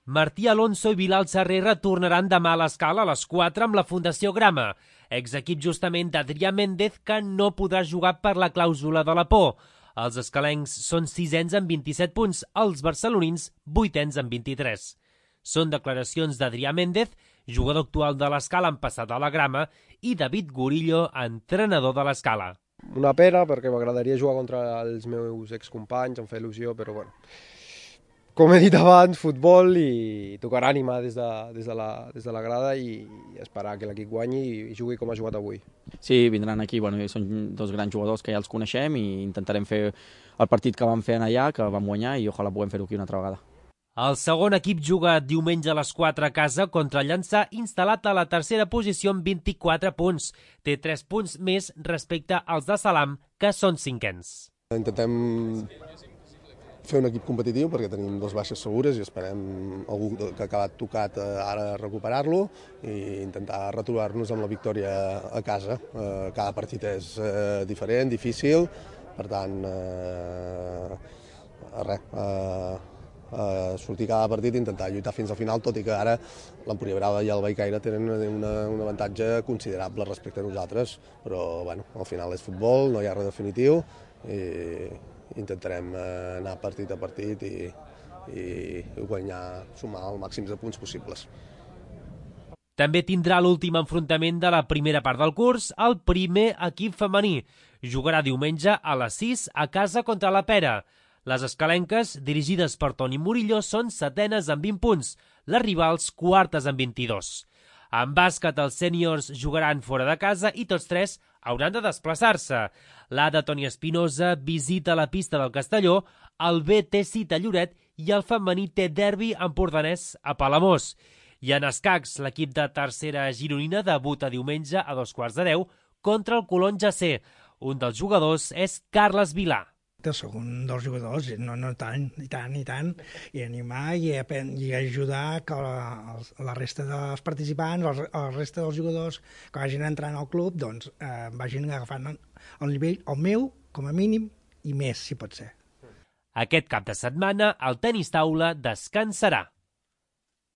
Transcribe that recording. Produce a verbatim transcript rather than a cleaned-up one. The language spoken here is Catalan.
Martí Alonso i Bilal Sarrera tornaran demà a l'Escala a les quatre amb la Fundació Grama, exequip justament d'Adrià Méndez, que no podrà jugar per la clàusula de la por. Els escalencs són sisens amb vint-i-set punts, els barcelonins vuitens amb vint-i-tres. Són declaracions d'Adrià Méndez, jugador actual de l'Escala en passat a la Grama, i David Gurillo, entrenador de l'Escala. Una pena, perquè m'agradaria jugar contra els meus excompanys, em fa il·lusió, però bueno. Com he dit abans, futbol i tocarà animar des de, des de, la, des de la grada i, i esperar que l'equip guanyi i jugui com ha jugat avui. Sí, vindran aquí, bueno, són dos grans jugadors que ja els coneixem i intentarem fer el partit que vam fer allà, que vam guanyar, i ojalà puguem fer-ho aquí una altra vegada. El segon equip juga diumenge a les quatre a casa contra el Llançà, instal·lat a la tercera posició amb vint-i-quatre punts. Té tres punts més respecte als de Salam, que són cinquens. Intentem fer un equip competitiu perquè tenim dos baixes segures i esperem algú que ha acabat tocat ara recuperar-lo i intentar retrobar-nos amb la victòria a casa. Cada partit és diferent, difícil, per tant, res, sortir cada partit i intentar lluitar fins al final, tot i que ara l'Empúria Brava i el Bellcaire tenen una, un avantatge considerable respecte a nosaltres, però bueno, al final és futbol, no hi ha res definitiu i intentarem anar partit a partit i, i guanyar, sumar el màxim de punts possibles. També tindrà l'últim enfrontament de la primera part del curs, el primer equip femení. Jugarà diumenge a les sis a casa contra la Pera. Les escalenques, dirigides per Toni Murillo, són setenes amb vint punts, les rivals quartes amb vint-i-dos. En bàsquet, els sèniors jugaran fora de casa i tots tres hauran de desplaçar-se. L'A de Toni Espinosa visita la pista del Castelló, el B té cita a Lloret i el femení té derbi empordanès a Palamós. I en escacs, l'equip de tercera gironina debuta diumenge a dos quarts de deu contra el Colón G C. Un dels jugadors és Carles Vilà. Soc un dels jugadors, no, no tant, i tant, i tant, i animar i, i ajudar que la, la resta dels participants, la resta dels jugadors que vagin entrant al club, doncs eh, vagin agafant el nivell, el meu, com a mínim, i més, si pot ser. Aquest cap de setmana, el tenis taula descansarà.